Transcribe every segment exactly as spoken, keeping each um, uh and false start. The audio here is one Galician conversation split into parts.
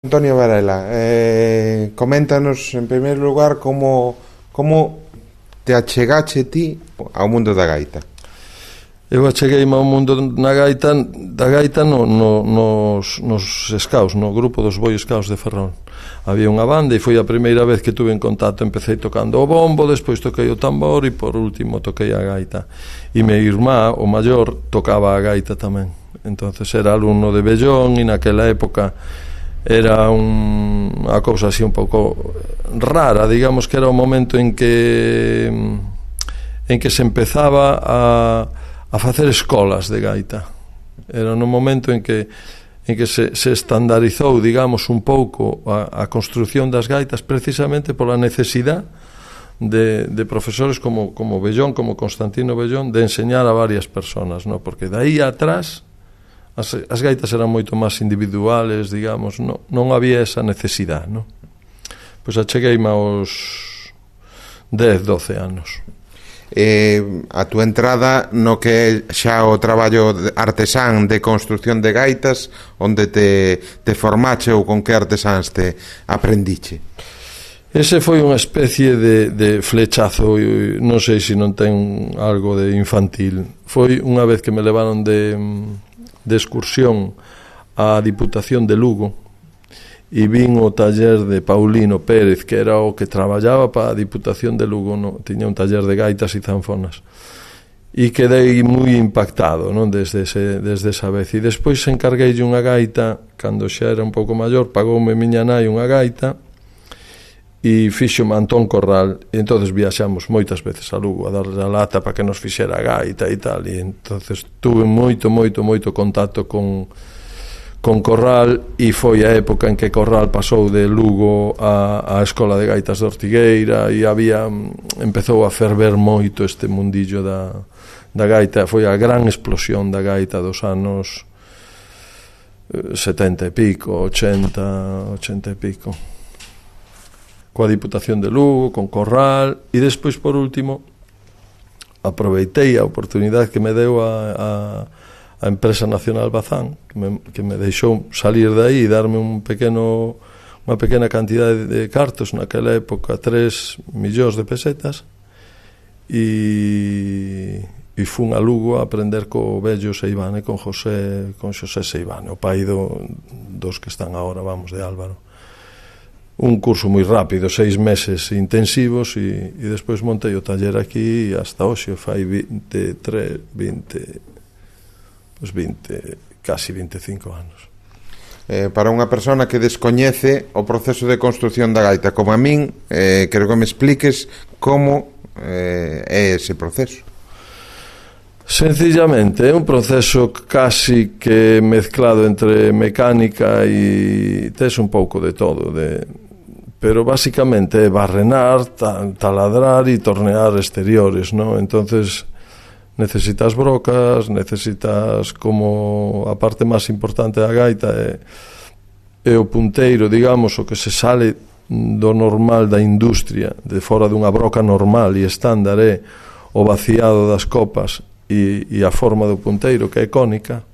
Antonio Varela, eh, coméntanos en primeiro lugar como, como te achegache ti ao mundo da gaita. Eu achegueime ao mundo na gaita, da gaita no, no, nos, nos scouts, no grupo dos Boy Scouts de Ferrol. Había unha banda e foi a primeira vez que tuve en contacto. Empecé tocando o bombo, despois toquei o tambor e por último toquei a gaita. E mi irmá, o maior, tocaba a gaita tamén. Entonces era alumno de Bellón e naquela época era un, unha cousa así un pouco rara, digamos que era o momento en que en que se empezaba a, a facer escolas de gaita. Era no momento en que en que se, se estandarizou, digamos, un pouco a, a construción das gaitas precisamente pola necesidade de, de profesores como, como Bellón, como Constantino Bellón, de enseñar a varias personas, ¿no? Porque de aí atrás As, as gaitas eran moito máis individuales, digamos, non, non había esa necesidade, non? Pois achegueime aos dez, doce anos. Eh, a túa entrada no que é xa o traballo artesán de construción de gaitas, onde te, te formache ou con que artesáns te aprendiche? Ese foi unha especie de, de flechazo, non sei se non ten algo de infantil. Foi unha vez que me levaron de... de excursión á Diputación de Lugo e vin o taller de Paulino Pérez, que era o que traballaba para a Diputación de Lugo, no? Tiña un taller de gaitas e zanfonas e quedei moi impactado, non? Desde, ese, desde esa vez. E despois encarguei unha gaita cando xa era un pouco maior, pagoume miña nai unha gaita e fixo-me Antón Corral, e entonces viaxamos moitas veces a Lugo a darle a lata para que nos fixera a gaita e tal, e entonces tuve moito, moito, moito contacto con, con Corral, e foi a época en que Corral pasou de Lugo a, a Escola de Gaitas de Ortigueira e había, empezou a ferver moito este mundillo da, da gaita. Foi a gran explosión da gaita dos anos setenta e pico, ochenta, ochenta e pico, coa Diputación de Lugo, con Corral, e despois, por último, aproveitei a oportunidade que me deu a, a, a Empresa Nacional Bazán, que me, que me deixou salir de aí e darme un pequeno, unha pequena cantidade de cartos, naquela época, tres millóns de pesetas, e, e fun a Lugo a aprender co vello Seivane, con José, con Xosé Seivane, o pai do, dos que están agora, vamos, de Álvaro. Un curso moi rápido, seis meses intensivos, e, e despois montei o taller aquí e hasta hoxe fai veintitrés, vinte, pues vinte, casi veinticinco anos. Eh, para unha persona que descoñece o proceso de construción da gaita como a min, eh, quero que me expliques como eh, é ese proceso. Sencillamente é un proceso casi que mezclado entre mecánica e tes un pouco de todo, de, pero basicamente é barrenar, taladrar e tornear exteriores, ¿no? Entonces necesitas brocas, necesitas, como a parte máis importante da gaita é, é o punteiro, digamos, o que se sale do normal da industria, de fora dunha broca normal e estándar, é o vaciado das copas e, e a forma do punteiro, que é cónica.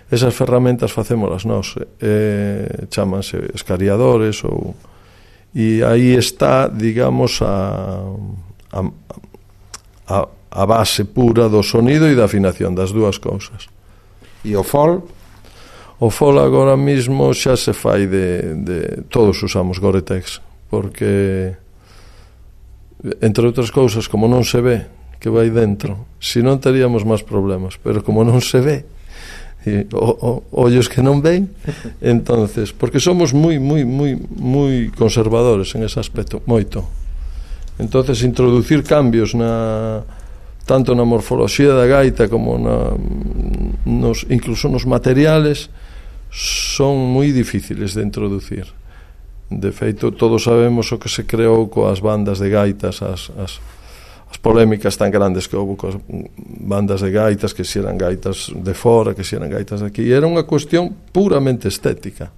Esas ferramentas facémolas nós, eh, chámanse escariadores, ou, e aí está, digamos, a, a, a, a base pura do sonido e da afinación, das dúas cousas. E o fol? O fol agora mismo xa se fai de, de todos usamos Gore-Tex, porque entre outras cousas, como non se ve que vai dentro, se non teríamos máis problemas, pero como non se ve, e, o, o, ollos que non ven, entonces, porque somos moi, moi, moi, moi conservadores en ese aspecto, moito. Entonces, introducir cambios na tanto na morfoloxía da gaita como na, nos, incluso nos materiales, son moi difíciles de introducir. De feito, todos sabemos o que se creou coas bandas de gaitas, as, as as polémicas tan grandes que houve coas bandas de gaitas, que se eran gaitas de fora, que se eran gaitas de aquí, e era unha cuestión puramente estética,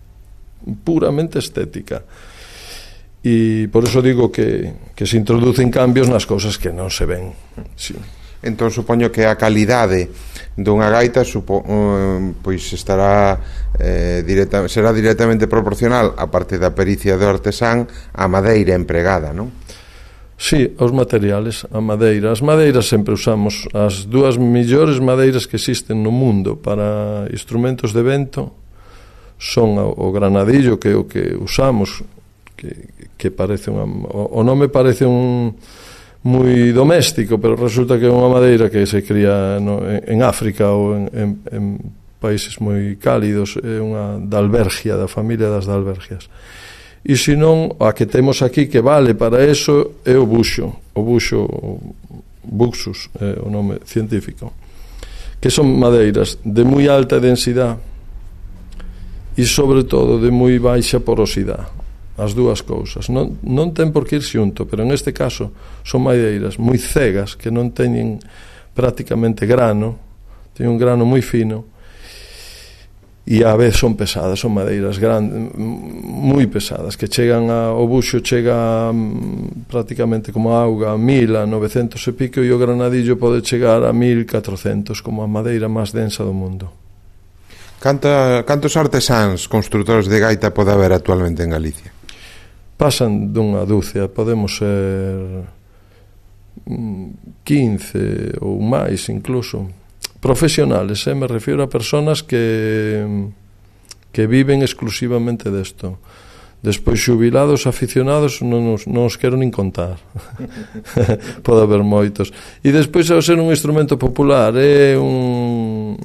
puramente estética. E por eso digo que, que se introducen cambios nas cousas que non se ven. Sí. Entón supoño que a calidade dunha gaita supo, um, pois estará eh, directa, será directamente proporcional, a parte da pericia do artesán, á madeira empregada, non? Sí, aos materiales, a madeira. As madeiras sempre usamos as dúas millores madeiras que existen no mundo para instrumentos de vento son o granadillo, que é o que usamos, que, que parece unha, o, o nome parece un moi doméstico, pero resulta que é unha madeira que se cría no, en, en África ou en, en, en países moi cálidos, é unha dalbergia, da familia das dalbergias. E se non, a que temos aquí que vale para eso é o buxo, o buxo buxus, é o nome científico, que son madeiras de moi alta densidade e sobre todo de moi baixa porosidade. As dúas cousas non, non ten por que ir xunto, pero en este caso son madeiras moi cegas, que non teñen prácticamente grano, teñen un grano moi fino e a vez son pesadas, son madeiras grandes, moi pesadas, que chegan a, o buxo chega a, prácticamente como a auga a mil, a novecentos e pico, e o granadillo pode chegar a mil catrocentos, como a madeira máis densa do mundo. Canta, cantos artesáns construtores de gaita pode haber actualmente en Galicia? Pasan dunha dúcia, podemos ser quince ou máis incluso. Profesionales, eh? Me refiero a personas que que viven exclusivamente desto. Despois xubilados, aficionados, non os, non os quero nin contar. Pode haber moitos. E despois, ao ser un instrumento popular, é un...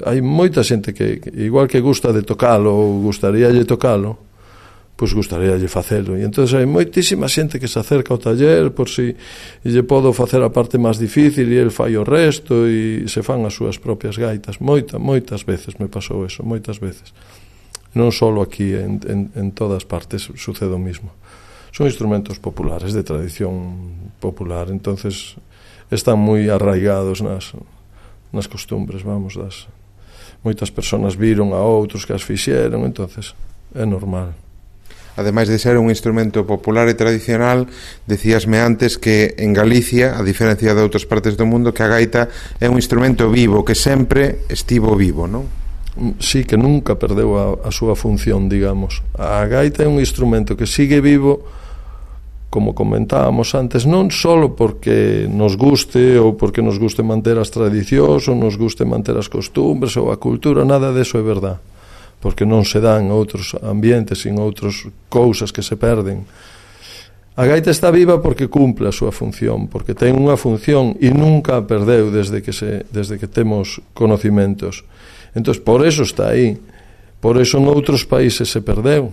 hai moita xente que, igual que gusta de tocalo ou gustaríalle tocalo, pois gustaríalle facelo. E entón hai moitísima xente que se acerca ao taller por si lle podo facer a parte máis difícil e el fai o resto e se fan as súas propias gaitas. Moita, moitas veces me pasou eso, moitas veces. Non só aquí, en, en, en todas partes sucede o mismo. Son instrumentos populares, de tradición popular, entonces están moi arraigados nas, nas costumbres, vamos, das... Moitas persoas viron a outros que as fixeron, entonces é normal. Ademais de ser un instrumento popular e tradicional, decíasme antes que en Galicia, a diferencia de outras partes do mundo, que a gaita é un instrumento vivo, que sempre estivo vivo, non? Sí, que nunca perdeu a, a súa función, digamos. A gaita é un instrumento que sigue vivo, como comentábamos antes, non só porque nos guste ou porque nos guste manter as tradicións ou nos guste manter as costumbres ou a cultura, nada deso é verdade, porque non se dan outros ambientes e outras cousas que se perden. A gaita está viva porque cumple a súa función, porque ten unha función e nunca a perdeu desde que, se, desde que temos conocimentos. Entón, por eso está aí. Por eso en outros países se perdeu.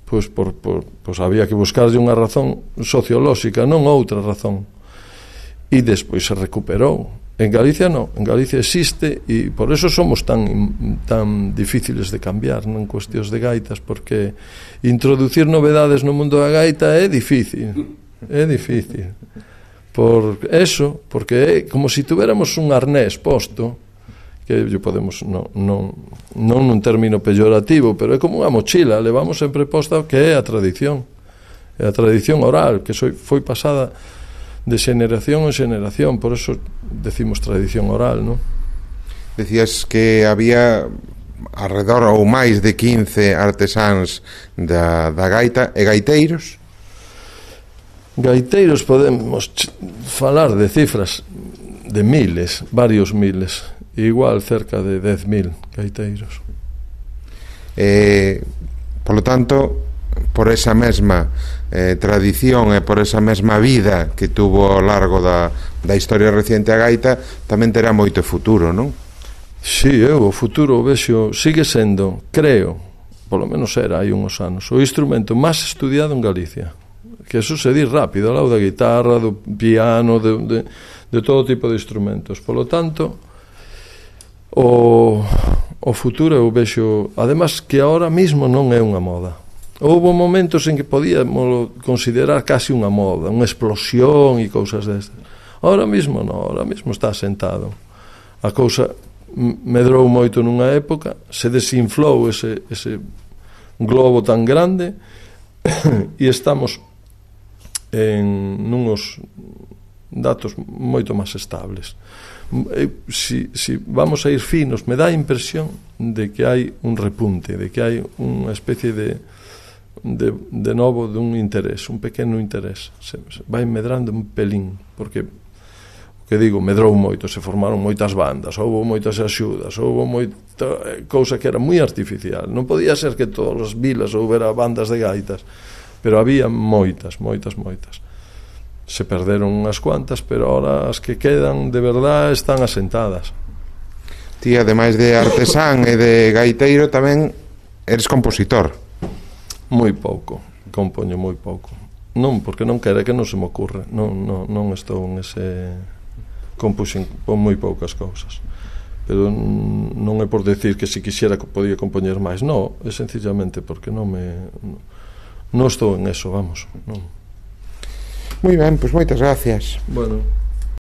Pois, por, por, pois había que buscarlle unha razón sociolóxica, non outra razón. E despois se recuperou. En Galicia non, en Galicia existe e por eso somos tan tan difíciles de cambiar, non, en cuestións de gaitas, porque introducir novedades no mundo da gaita é difícil, é difícil. Por eso, porque é como se si tuviéramos un arnés posto, que yo podemos, non, non, non nun término peyorativo, pero é como unha mochila, levamos sempre posta que é a tradición, é a tradición oral, que foi pasada de xeneración en xeneración, por eso decimos tradición oral, non? Decías que había alrededor ou máis de quince artesáns da, da gaita e gaiteiros? Gaiteiros podemos falar de cifras de miles, varios miles, igual cerca de dez mil gaiteiros. Eh, por lo tanto, por esa mesma eh, tradición e por esa mesma vida que tuvo ao largo da, da historia reciente a gaita, tamén terá moito futuro, non? Si, sí, eu o futuro vexo, sigue sendo, creo, polo menos era hai uns anos, o instrumento máis estudiado en Galicia, que eso se di rápido, ao lado da guitarra, do piano, de, de, de todo tipo de instrumentos. Polo tanto, o, o futuro eu vexo, además que ahora mismo non é unha moda. Houve momentos en que podíamos considerar casi unha moda, unha explosión e cousas destas. Ahora mismo non, ahora mismo está sentado. A cousa medrou moito nunha época, se desinflou ese, ese globo tan grande e estamos en nunos datos moito máis estables. Si, si vamos a ir finos, me dá a impresión de que hai un repunte, de que hai unha especie de de, de novo dun interés, un pequeno interés, se, se vai medrando un pelín, porque que digo, medrou moito, se formaron moitas bandas, houve moitas axudas, houve moita cousa que era moi artificial. Non podía ser que todas as vilas houbera bandas de gaitas, pero había moitas, moitas, moitas. Se perderon unhas cuantas, pero ahora as que quedan de verdad están asentadas. Ti, ademais de artesán e de gaiteiro, tamén eres compositor. Moi pouco, compoño moi pouco. Non, porque non quere, que non se me ocurre. Non, non, non estou en ese... compuxen con moi poucas cousas, pero non é por decir que se quixera podía compoñer máis, non, é sencillamente porque non me non estou en eso, vamos, non. Moi ben, pois moitas gracias. Bueno.